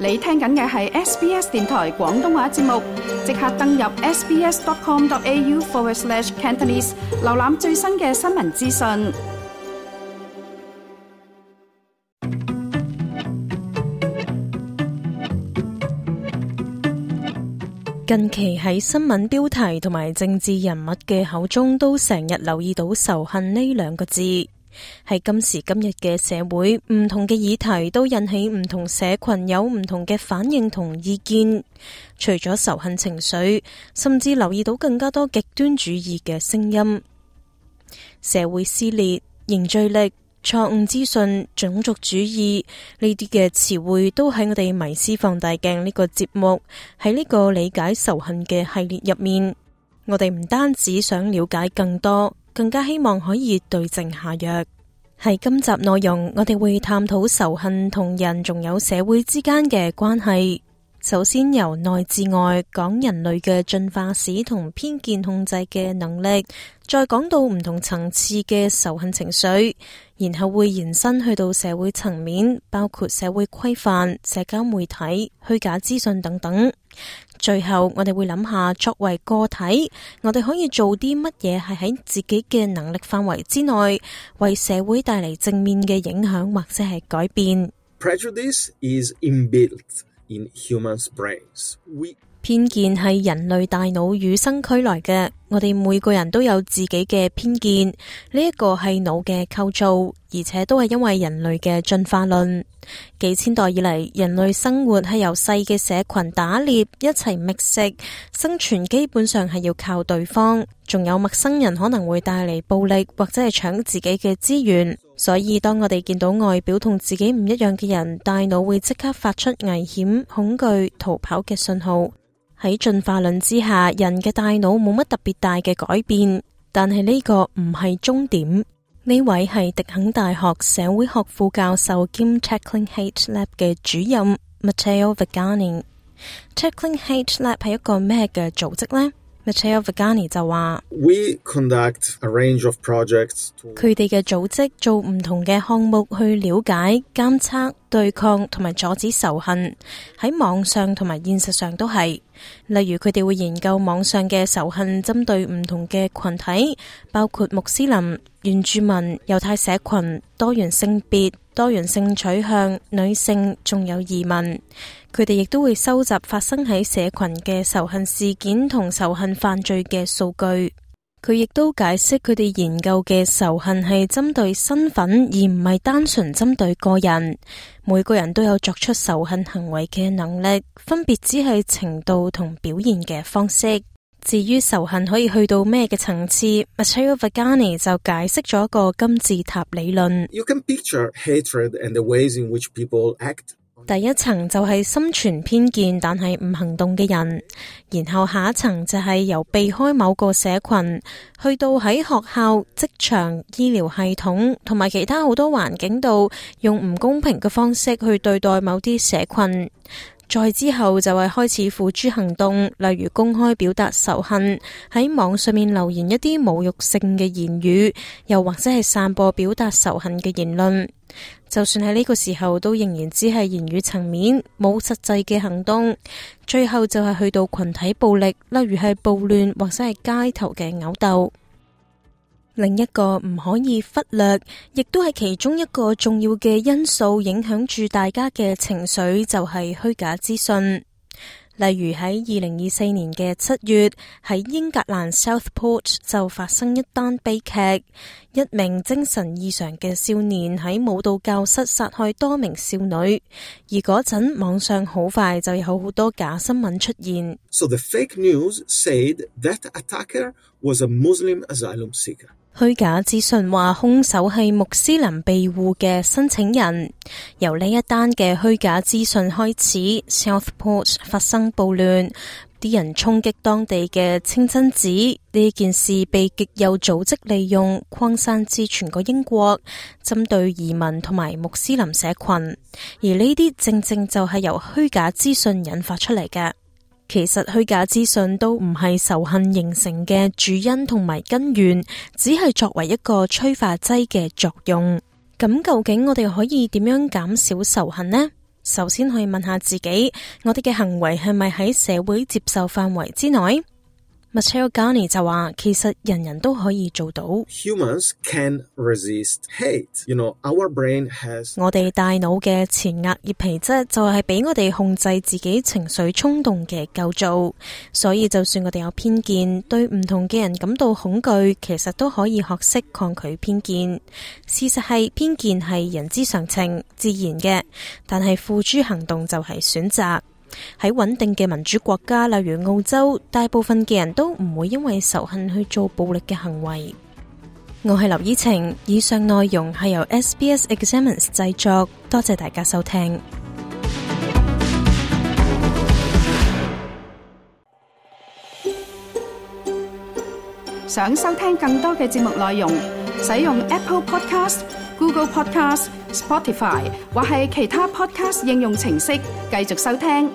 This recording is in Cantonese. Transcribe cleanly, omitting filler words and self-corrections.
你聽緊嘅係 SBS 電台廣東話節目，即刻登入 sbs.com.au/Cantonese 瀏覽最新嘅新聞資訊。近期喺新聞標題同埋政治人物嘅口中都成日留意到仇恨呢兩個字。喺今時今日嘅社會，唔同嘅議題都引起唔同社群有唔同嘅反應同意見。除咗仇恨情緒，甚至留意到更加多極端主義嘅聲音。社會撕裂、凝聚力、錯誤資訊、種族主義呢啲嘅詞彙都喺我哋迷思放大鏡呢個節目，喺呢個理解仇恨嘅系列入面，我哋唔單止想了解更多，更加希望可以對症下藥。喺今集內容，我哋會探討仇恨同人仲有社會之間嘅關係。首先由內至外講人類嘅進化史同偏見控制嘅能力，再講到唔同層次嘅仇恨情緒，然後會延伸去到社會層面，包括社會規範、社交媒體、虛假資訊等等。最後我哋會諗下，作為個體，我哋可以做啲乜嘢係喺自己嘅能力範圍之內，為社會帶嚟正面嘅影響或者係改變。Prejudice is inbuilt in humans' brains. 偏見係人類大腦與生俱來嘅，我哋每個人都有自己嘅偏見，呢一個係腦嘅構造，而且都係因為人類嘅進化論。幾千代以嚟，人類生活係由細嘅社群打獵，一齊覓食，生存基本上係要靠對方，仲有陌生人可能會帶嚟暴力或者係搶自己嘅資源。所以當我哋見到外表同自己唔一樣嘅人，大腦會即刻發出危險、恐懼、逃跑嘅信號。喺進化論之下，人嘅大腦冇乜特別大嘅改變，但係呢個唔係終點。呢位係迪肯大學社會學副教授兼 Tackling Hate Lab 嘅主任 Matteo Vigani。Tackling Hate Lab 係一個咩嘅組織呢？Matteo Vigani 就話We conduct a range of projects to... 佢哋嘅組織做唔同嘅項目去了解、監測、對抗同埋阻止仇恨，喺網上同埋現實上都係。例如佢哋會研究網上嘅仇恨針對唔同嘅群體，包括穆斯林、原住民、猶太社群、多元性別、多元性取向、女性，仲有移民。佢哋亦都會收集發生喺社群嘅仇恨事件同仇恨犯罪嘅數據。佢亦都解釋佢哋研究嘅仇恨係針對身份，而唔係單純針對個人。每個人都有作出仇恨行為嘅能力，分別只係程度同表現嘅方式。至於仇恨可以去到咩嘅層次， Matteo Vigani 就解釋咗一個金字塔理論。You can picture hatred and the ways in which people act. 第一層就係心存偏見但係唔行動嘅人，然後下一層就係由避開某個社群，去到喺學校、職場、醫療系統同埋其他好多環境度，用唔公平嘅方式去對待某啲社群。再之後就係開始付諸行動，例如公開表達仇恨，喺網上面留言一啲侮辱性嘅言語，又或者係散播表達仇恨嘅言論。就算喺呢個時候，都仍然只係言語層面，冇實際嘅行動。最後就係去到群體暴力，例如係暴亂或者係街頭嘅毆鬥。另一個唔可以忽略，亦都係其中一個重要嘅因素，影響住大家嘅情緒，就係虛假資訊。例如喺2024年嘅7月，喺英格蘭 Southport 就發生一單悲劇，一名精神異常嘅少年喺舞蹈教室殺害多名少女，而嗰陣網上好快就有好多假新聞出現。So the fake news said that attacker was a Muslim asylum seeker. 虛假資訊話兇手係穆斯林庇護嘅申請人。由呢一單嘅虛假資訊開始， Southport 發生暴亂，啲人衝擊當地嘅清真寺，呢件事被極有組織利用，擴散至全個英國，針對移民同埋穆斯林社群。而呢啲正正就係由虛假資訊引發出嚟嘅。其實虛假資訊都唔係仇恨形成嘅主因同埋根源，只係作為一個催化劑嘅作用。咁究竟我哋可以點樣減少仇恨呢？首先可以問下自己，我哋嘅行為係咪喺社會接受範圍之內？Matteo Garni 就話，其實人人都可以做到。Humans can resist hate. Our brain has 我哋大腦嘅前額葉皮質就係俾我哋控制自己情緒衝動嘅構造，所以就算我哋有偏見，對唔同嘅人感到恐懼，其實都可以學識抗拒偏見。事實係偏見係人之常情，自然嘅，但係付諸行動就係選擇。喺穩定嘅民主國家，例如澳洲，大部分嘅人都唔會因為仇恨去做暴力嘅行為。我係劉依晴，以上內容係由 SBS Examines 製作，多謝大家收聽。想收聽更多嘅節目內容，使用 Apple Podcast、Google Podcast、Spotify 或係其他 Podcast 應用程式繼續收聽。